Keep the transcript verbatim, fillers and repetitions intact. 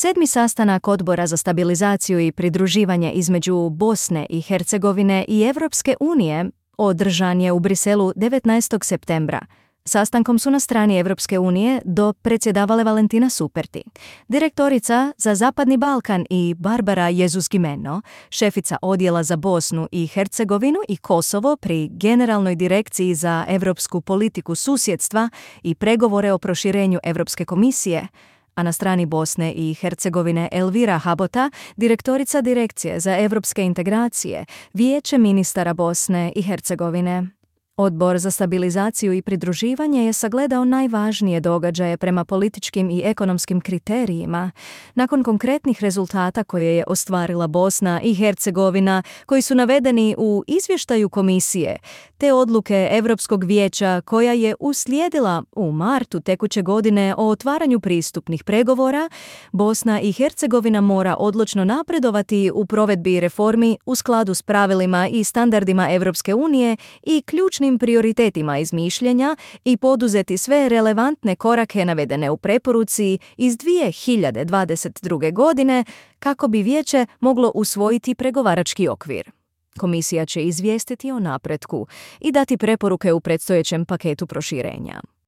Sedmi sastanak Odbora za stabilizaciju i pridruživanje između Bosne i Hercegovine i Europske unije održan je u Briselu devetnaestog septembra. Sastankom su na strani Europske unije do predsjedavale Valentina Superti, direktorica za Zapadni Balkan, i Barbara Jezus-Gimeno, šefica odjela za Bosnu i Hercegovinu i Kosovo pri Generalnoj direkciji za europsku politiku susjedstva i pregovore o proširenju Europske komisije, a na strani Bosne i Hercegovine Elvira Habota, direktorica Direkcije za europske integracije, Vijeće ministara Bosne i Hercegovine. Odbor za stabilizaciju i pridruživanje je sagledao najvažnije događaje prema političkim i ekonomskim kriterijima. Nakon konkretnih rezultata koje je ostvarila Bosna i Hercegovina, koji su navedeni u izvještaju komisije, te odluke Europskog vijeća koja je uslijedila u martu tekuće godine o otvaranju pristupnih pregovora, Bosna i Hercegovina mora odlučno napredovati u provedbi reformi u skladu s pravilima i standardima Europske unije i ključnim prioritetima iz mišljenja i poduzeti sve relevantne korake navedene u preporuci iz dvije hiljade dvadeset druge. godine kako bi vijeće moglo usvojiti pregovarački okvir. Komisija će izvijestiti o napretku i dati preporuke u predstojećem paketu proširenja.